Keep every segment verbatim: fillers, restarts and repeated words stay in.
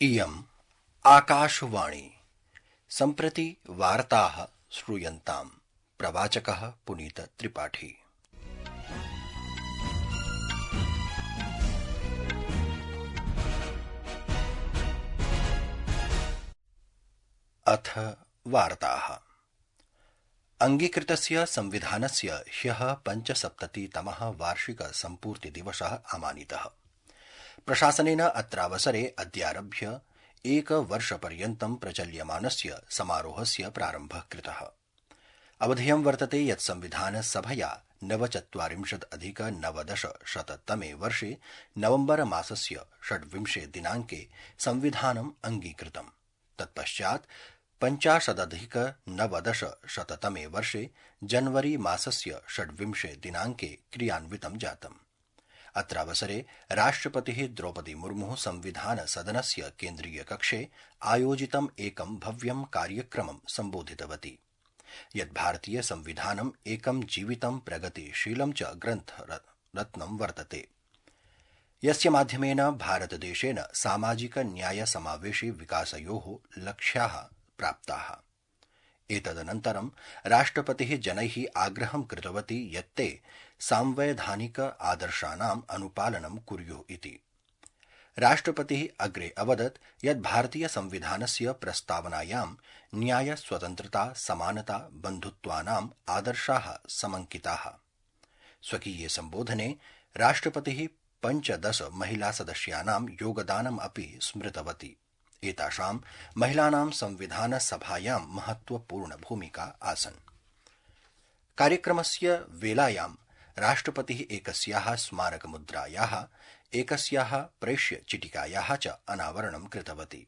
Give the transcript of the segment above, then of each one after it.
इयम् आकाशवाणी सम्प्रति वार्ताः श्रूयन्ताम्। प्रवाचकः पुनीत त्रिपाठी। अथ वार्ताः। अंगीकृतस्य संविधानस्य ह्यः पञ्चसप्ततितमः वार्षिक सम्पूर्ति दिवसः आमानितः। प्रशासनेन अत्रावसरे अद्यारभ्य एकवर्षपर्यन्तं प्रचल्यमानस्य समारोहस्य प्रारम्भः कृतः। अवधेयं वर्तते यत् संविधानसभया नवचत्वारिंशदधिक नवदशशततमे वर्षे नवम्बर मासस्य षड्विंशे दिनाङ्के संविधानम् अंगीकृतम्। तत्पश्चात् पञ्चाशदधिक नवदशशततमे वर्षे जनवरी मासस्य षड्विंशे दिनाङ्के क्रियान्वितं जातम्। अत्रावसरे राष्ट्रपतिः द्रौपदी मुर्मुः संविधान सदनस्य केन्द्रीय कक्षे आयोजितम् एकं भव्यं कार्यक्रमं सम्बोधितवती, यत् भारतीय संविधानम् एकं जीवितं प्रगतिशीलं च ग्रन्थरत्नं वर्तते, यस्य माध्यमेन भारतदेशेन सामाजिक न्याय समावेशी विकासयोः लक्ष्याः प्राप्ताः। एतदनन्तरं राष्ट्रपतिः जनैः आग्रहं कृतवती यत् ते सांवैधानिक आदर्शानाम् अनुपालनं कुर्युः इति। राष्ट्रपतिः अग्रे अवदत् यत् भारतीय संविधानस्य प्रस्तावनायां न्याय, स्वतन्त्रता, समानता, बन्धुत्वानाम् आदर्शाः समङ्किताः। स्वकीये सम्बोधने राष्ट्रपतिः पञ्चदश महिला सदस्यानां योगदानम् अपि स्मृतवती। एतासां महिलानां संविधान सभायां महत्वपूर्ण भूमिका आसन्। कार्यक्रमस्य वेलायां राष्ट्रपतिः एकस्याः स्मारकमुद्रायाः, एकस्याः प्रेष्य चिटिकायाः च अनावरणं कृतवती।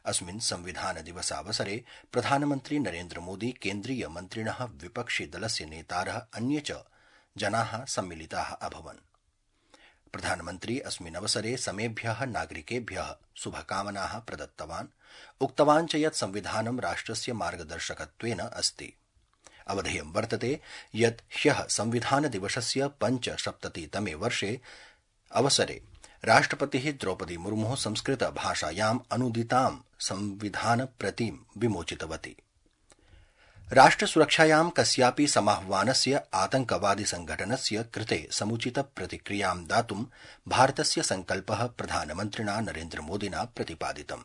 अस्मिन् संविधान दिवसावसरे प्रधानमन्त्री नरेन्द्र मोदी, केन्द्रीय मन्त्रिणः, विपक्षि दलस्य नेतारः, अन्ये च जनाः सम्मिलिताः अभवन्। प्रधानमन्त्री अस्मिन् अवसरे समेभ्यः नागरिकेभ्यः शुभकामनाः प्रदत्तवान्। उक्तवान् च यत् संविधानं राष्ट्रस्य मार्गदर्शकत्वेन अस्ति। अवधेयं वर्तते यत् ह्यः संविधान दिवसस्य पञ्चसप्ततितमे वर्षे अवसरे राष्ट्रपतिः द्रौपदी मुर्मुः संस्कृत भाषायाम् अनुदितां संविधान प्रतिं विमोचितवती। राष्ट्रसुरक्षायां कस्यापि समाह्वानस्य आतंकवादि संघटनस्य कृते समुचित प्रतिक्रियां दातुं भारतस्य संकल्पः प्रधानमन्त्रिणा नरेन्द्र मोदिना प्रतिपादितम्।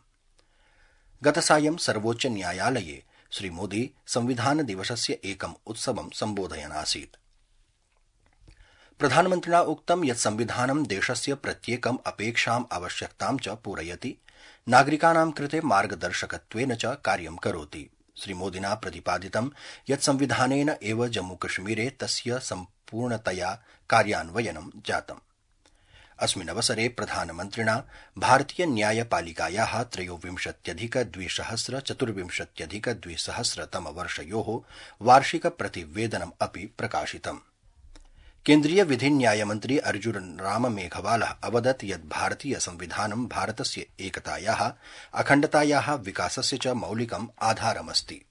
गतसायं सर्वोच्च न्यायालये श्रीमोदी संविधान दिवसस्य एकम् उत्सवं सम्बोधयन् आसीत्। प्रधानमन्त्रिणा उक्तं यत् संविधानं देशस्य प्रत्येकम् अपेक्षाम् आवश्यकतां च पूरयति, नागरिकाणां कृते मार्गदर्शकत्वेन च कार्यं करोति। श्रीमोदिना प्रतिपादितं यत् संविधानेन एव जम्मूकश्मीरे तस्य सम्पूर्णतया कार्यान्वयनं जातम्। अस्मिन् अवसरे प्रधानमन्त्रिणा भारतीय न्यायपालिकायाः त्रयोविंशत्यधिक द्विसहस्र चतुर्विंशत्यधिक द्विसहस्रतम वर्षयोः वार्षिक प्रतिवेदनम् अपि प्रकाशितम्। केन्द्रीय विधि न्यायमन्त्री अर्जुन राम मेघवालः अवदत् यत् भारतीय संविधानं भारतस्य एकतायाः, अखण्डतायाः, विकासस्य च मौलिकम् आधारमस्ति।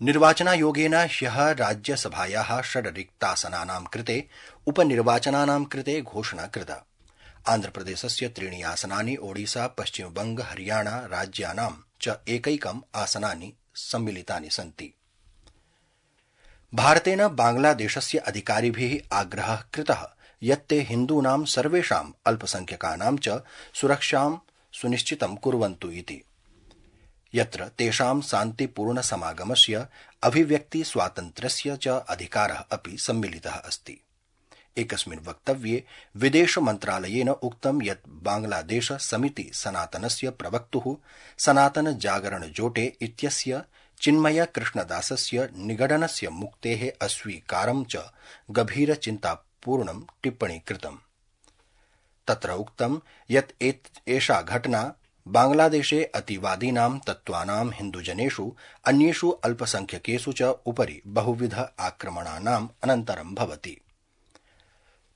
निर्वाचनायोगेन ह्यः राज्यसभायाः षड् रिक्तासनानां कृते उपनिर्वाचनानां कृते घोषणा कृता। आन्ध्रप्रदेशस्य त्रीणि आसनानि, ओडिशा, पश्चिमबंग, हरियाणा राज्यानां च एकैकम् आसनानि सम्मिलितानि सन्ति। भारतेन बांग्लादेशस्य अधिकारिभिः आग्रहः कृतः यत् ते हिन्दूनां सर्वेषाम् अल्पसंख्यकानां च सुरक्षां सुनिश्चितं कुर्वन्तु इति, यत्र तेषां शान्तिपूर्ण समागमस्य, अभिव्यक्ति स्वातन्त्र्यस्य च अधिकारः अपि सम्मिलितः अस्ति। एकस्मिन् वक्तव्ये विदेश मन्त्रालयेन उक्तं यत् बांग्लादेश समिति सनातनस्य प्रवक्तुः सनातन जागरण जोटे इत्यस्य चिन्मय कृष्णदासस्य निगडनस्य मुक्तेः अस्वीकारं च गभीरचिन्तापूर्णं टिप्पणी कृतम्। तत्र उक्तं यत् एषा घटना बांग्लादेशे अतिवादीनां तत्त्वानां हिन्दुजनेषु अन्येषु अल्पसंख्यकेषु च उपरि बहुविध आक्रमणानाम् अनन्तरं भवति।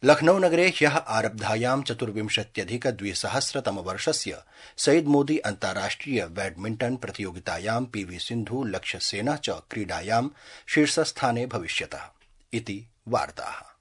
लखनऊ नगरे ह्यः आरब्धायां चतुर्विंशत्यधिक द्विसहस्रतम वर्षस्य सईद मोदी अन्ताराष्ट्रिय बैडमिण्टन् प्रतियोगितायां पीवी सिन्धु, लक्ष्यसेनः च क्रीडायां शीर्षस्थाने भविष्यतः इति वार्ताः।